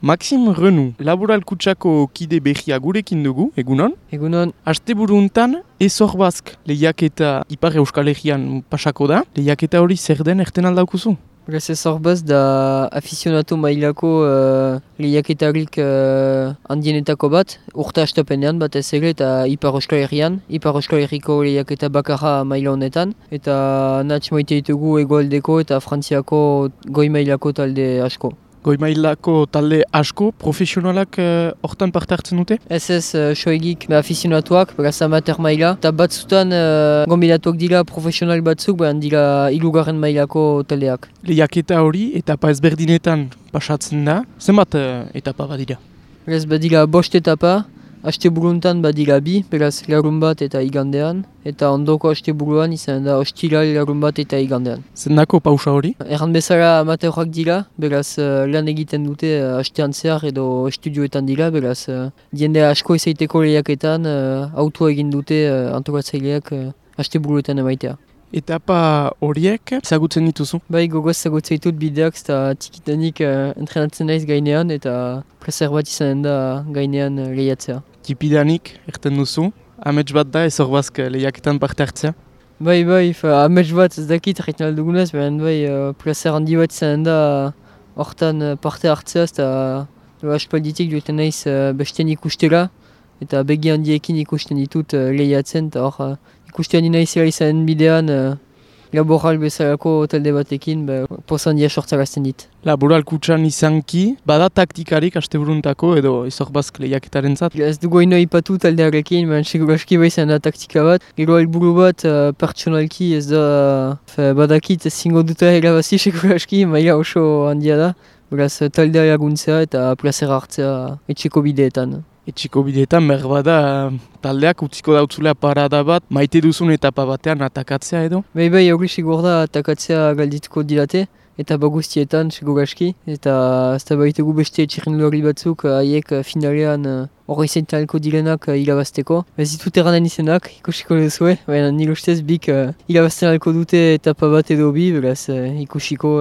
Maxime Renou, Laboral Kutsako kide behia gurekin dugu, egunon? Egunon. Asteburu hontan, Ezor Bask lehiaketa Ipar Euskal Herrian pasako da. Lehiaketa hori zer den erten aldaukuzu? Beraz Ezor Bask da aficionato mailako lehiaketarik handienetako bat, urte hastapenean bat ez ere eta Ipar Euskal Herrian, Ipar Euskal Herriko lehiaketa bakarra maila honetan, eta natx maite ditugu hegoaldeko eta Frantziako goi mailako talde asko. Goi mailako talde asko, profesionalak hortan parte hartzen dute? Ez soegik aficionatuak, beraz amateur maila, eta batzutan gombinatuak dira profesional batzuk, behan dira hirugarren mailako taldeak. Lehiaketa hori etapa ezberdinetan pasatzen da, zenbat etapa badira? Beraz badira 5 etapa, asteburuntan badira 2, beraz larun bat eta igandean, eta ondoko asteburuan izan da ostilal larun bat eta igandean. Zendako pausa hori? Erran bezala amateurak dira, beraz lan egiten dute astean zehar edo estudioetan dira, beraz jende asko izaiteko lehiaketan autua egin dute antolatzaileak asteburuetan emaitea. Etapa horiek ezagutzen dituzu? Bai, gogoz ezagutzen ditut bideak, eta txikitanik entrenatzen naiz gainean, eta plazer bat izan da gainean lehiatzea. Tipidanik, erten duzu, amets bat da Ezor Bask lehiaketan parte hartzea? Bai, amets bat ez dakit erretzen aldugunez, baina plazer handi bat izan da hortan parte hartzea, eta aspalditik joetan naiz besten ikustera, eta begi handiekin ikusten ditut lehiatzen, eta hor ikusten handi naizela izan bidean laboral bezalako talde batekin, poza handia sortzarazten dit. Laboral kutsan izanki, bada taktikarik asteburuntako edo Ezor Bask lehiaketaren zat? Ez dugu ino ipatu taldearekin, seguraski izan da taktika bat. Gero helburu bat pertsonalki ez da, badakit zingo duta erabazi seguraski, maila oso handia da. Beraz taldea laguntzea eta plazera hartzea etxeko bideetan. Etxiko bideetan berbada taldeak utziko dautzulea parada bat, maite duzun etapa batean atakatzea edo? Bai, hori segur da atakatzea galdituko dilate, eta bagustietan seguraski, eta ez da baitugu beste txirrindulari batzuk haiek finalean hori zeintalko direnak irabazteko. Ez ditut eranen izenak, ikusiko duzue, baina nire ustez bik irabazten alko dute etapa bat edo bi, beraz ikusiko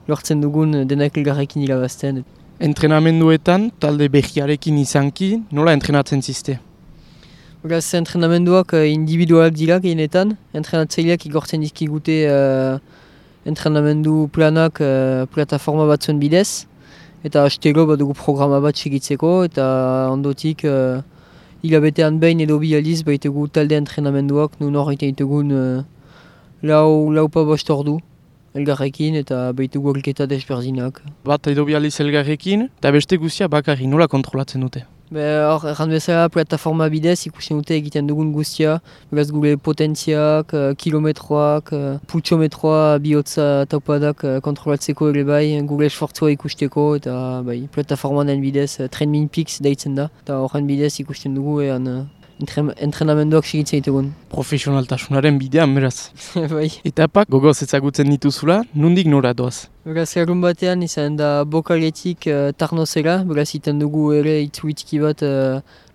lortzen dugun denak elgarrekin irabazten. Entrenamenduetan, talde behiarekin izanki, nola entrenatzen ziste? Beraz, entrenamenduak individualak dira gehienetan. Entrenatzaileak igortzen dizkigute entrenamendu planak plataforma batzuen bidez. Eta astero badugu programa bat segitzeko, eta ondotik hilabetean behin edo bi aldiz baitugu talde entrenamenduak, nun horreiten ditugun lau pa bost ordu. Elgarrekin eta behitugu horiketa desberdinak. Bat edo bializ elgarrekin, eta beste guztia bakarri nola kontrolatzen dute? Hor, erran bezala plataforma bidez ikusten dute egiten dugun guztia, beraz gure potentziak, kilometroak, pultsometroa, bihotza taupadak kontrolatzeko ere bai, gure esfortzua ikusteko, eta plataformanen bidez, TrainMinPix deitzen da, eta horren bidez ikusten dugu entrenamenduak segitzen ditugun. Profesionaltasunaren bidean, beraz. Bai. Etapak gogoz ezagutzen dituzula, nondik nora doaz? Beraz, larun batean izan da Bokaletik Tarnozera, beraz iten dugu ere itzuitki bat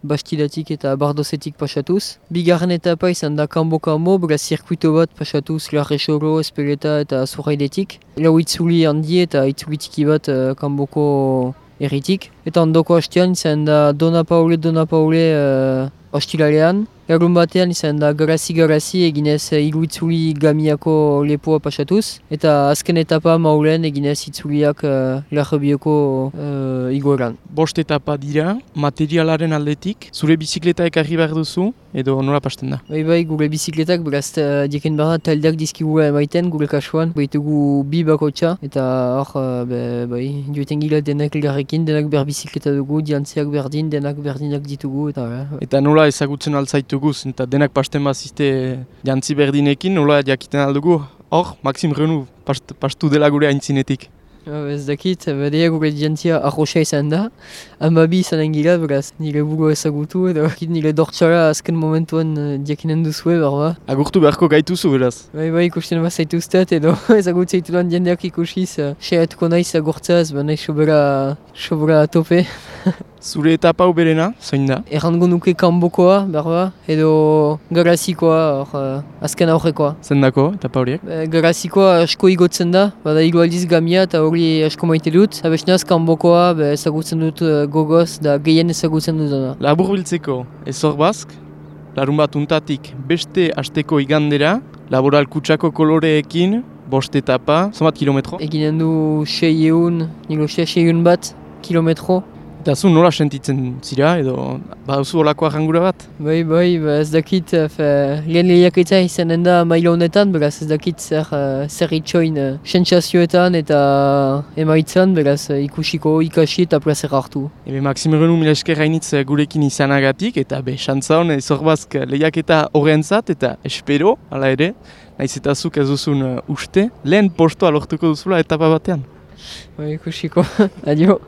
Bastidatik eta Bardozetik pasatuz. Bigarren etapa izan da Kanbo, beraz zirkuito bat pasatuz Larresoro, Espeleta eta Zurraidetik. Lau itzuli handi eta itzuitki bat Kanboko erritik. Eta ondoko hastean izan da Dona Paule ostilalean. Larun batean izan da Garazi eginez hiru itzuli Gamiako lepoa pasatuz. Eta azken etapa Maulen eginez itzuliak Larrabioko igoeran. 5 etapa dira, materialaren aldetik, zure bizikleta ekarri behar duzu, edo nola pasten da? Bai, gure bizikletak, beraz dieken behar da taldeak dizkigula emaiten gure kasuan. Baitugu 2 bakotxa, eta hor, joeten gila denak elgarrekin, denak behar bizikleta dugu, diantziak berdin, denak berdinak ditugu, Eta nola ezagutzen altzaitu eta denak pasten bazizte jantzi berdinekin, nola jakiten aldugu, hor, Maxime Renou pastu dela gure aintzinetik. Ez dakit, badea gure jantzia arroxa izan da, amabi izan engila, beraz, nire buru ezagutu, edo nire dortxara azken momentuan diakinen duzue, berba. Agurtu beharko gaituzu, beraz? Bai, ikusten bazaituztet, edo ezagutzeitu lan jendeak ikusiz, seatuko naiz agurtzaz, nahi sobera tope. Zure etapa uberena, zoin da? Errango nuke kanbokoa, berba, edo garazikoa, azken aurrekoa. Zendako, etapa horiek? Garazikoa asko igotzen da, bada hiru aldiz gamia eta hori asko maite dut. Abesnaz kanbokoa ezagutzen dut gogoz da gehien ezagutzen dut da. Labur biltzeko, ezor bazk, larun bat untatik beste asteko igandera, laboral kutsako koloreekin, 5 etapa, zomat kilometro? Eginen du 600 bat kilometro. Eta zu nola sentitzen zira edo baduzu olako arrangura bat? Bai, ez dakit, lehen lehiaketa izanen da maila honetan, beraz ez dakit zer itxoin sentsazioetan eta emaitzan, beraz ikasi eta plazer hartu. Ebe Maxime Renou mila esker hainitz gurekin izanagatik eta xantza hon Ezorbazk lehiaketa horrentzat eta espero, hala ere, nahiz eta zuk ez duzun uste, lehen postoa lortuko duzula etapa batean. Bai, ikusiko, adio.